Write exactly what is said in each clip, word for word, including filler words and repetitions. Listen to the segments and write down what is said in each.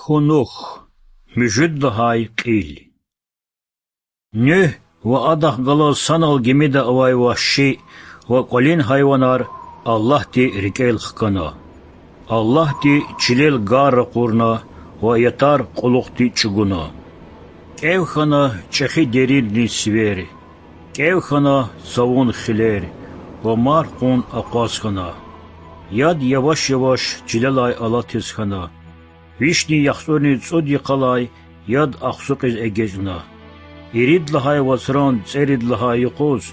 Хьунух. Муьжуьд лагьай кьил. Нуьгь ва адахъ галаз санал гимида авай вагьши ва кӀвалин гьайванар Аллагьди рикӀел хкана. Аллагьди чилел гар ракъурна ва ятар кьулухъди чӀугуна. КӀев хьана чӀехи деринрин сивер, кӀев хьана цавун хилер ва марф кьун акъваз хьана. Яд яваш-яваш чилелай алатиз хьана. Вишни яхцӀурни цӀуд йикъалай яд ахцукьиз эгечӀна. Ирид лагьай вацран цӀерид лагьай юкъуз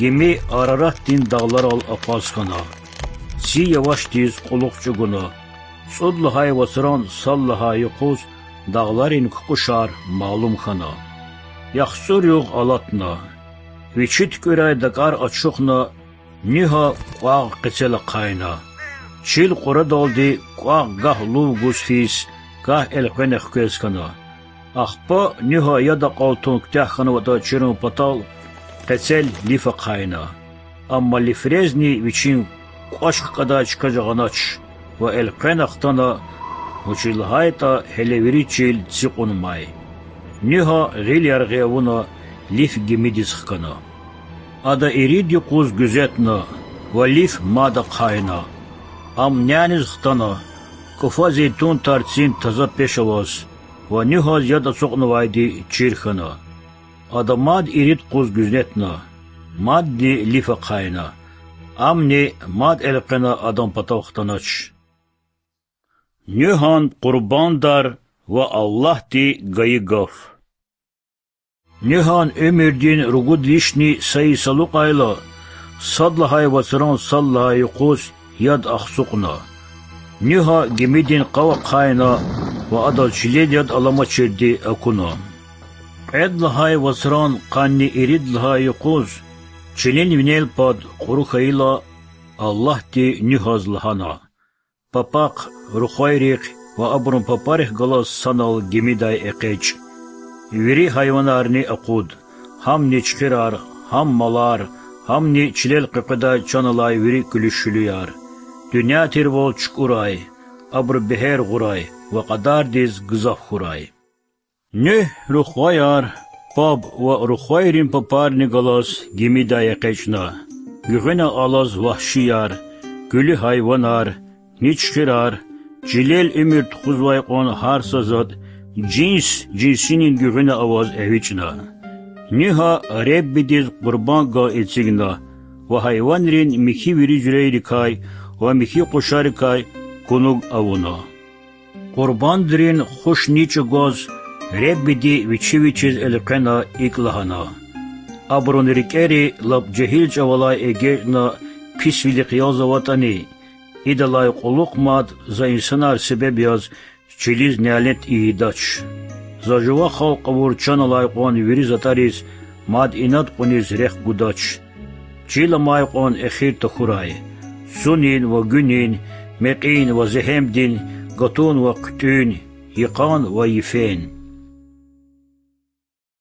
гими Араратдин дагъларал акъваз хьана. Ци явашдиз кьулухъ чӀугуна. ЦӀуд лагьай вацран сад лагьай юкъуз дагъларин кукӀушар малум хьана. ЯхцӀур югъ алатна. Вичи туькӀуьрай дакӀар ачухна, Нуьгьа кӀвагъ къецел ахъайна. Чил кьурадалди кӀвагъ гагь лув гуз физ, гагь элкъвена хквез хьана. Ахпа Нуьгьа яд акьалтун куьтягь хьанватӀа чирун патал къецел лиф ахъайна. Амма лифрезни вичин кӀвач хкӀадай чка жагъанач ва элкъвена хтана, вучиз лагьайтӀа гьеле вири чил цикьун амай. Нуьгьа гъил яргъи авуна, лиф гимидиз хкана. Ада ирид юкъуз гуьзетна ва лиф мад ахъайна. Ам няниз хтана, кӀуфа зейтун тарцин таза пеш аваз ва Нуьгьаз яд ацукьнавайди чир хьана. Ада мад ирид къуз гуьзетна, мадни лиф ахъайна. Амни мад элкъвена адан патав хтанач. Нуьгьан къурбандар ва Аллагьди гайи гаф. Нуьгьан уьмуьрдин ругуд вишни са йис алукьайла, сад лагьай вацран сад лагьай юкъуз яд ахцукьна. Нуьгьа гимидин къав ахъайна ва адаз чилел яд аламачирди акуна. Кьвед лагьай вацран къанни ирид лагьай юкъуз чилин винел пад кьуру хьайила, Аллагьди Нуьгьаз лагьана: Папахъ, рухвайрихъ ва абурун папарихъ галаз санал гимидай экъечӀ. Вири гьайванарни акъуд, гьамни чуьхуьрар, гьам малар, гьамни чилел къекъведай чан алай вири куьлуь-шуьлуьяр. Дуьнья тирвал чукӀурай, абуру бегьер гъурай ва кьадардиз гзаф хьурай. Нуьгь рухваяр, паб ва рухвайрин папарни галаз гимидай экъечӀна. Гуьгъуьна алаз вагьшияр, куьлуь гьайванар, ничхирар, чилел уьмуьр тухузвай кьван гьар са затӀ жинс-жинсинин гуьгъуьна аваз эвичӀна. Нуьгьа Реббидиз къурбангал эцигна ва гьайванрин михьи вири жуьрейрикай ва михьи къушарикай кунуг авуна. Къурбандрин хуш ничӀ гваз, Реббиди вичи вичиз элкъвена икӀ лагьана: Абурун рикӀери лап жегьил чӀавалай эгечӀна писвилихъ ялзаватӀани, идалай кьулухъ мад за инсанар себеб яз чилиз нялет ийидач. За жува халкь авур чан алай кьван вири затӀариз мад инад кьуниз рехъ гудач. Чил амай кьван эхир тахьурай: цунин ва гуьнин, мекьин ва зегьемдин, гатун ва хъуьтӀуьн, йикъан ва йифен.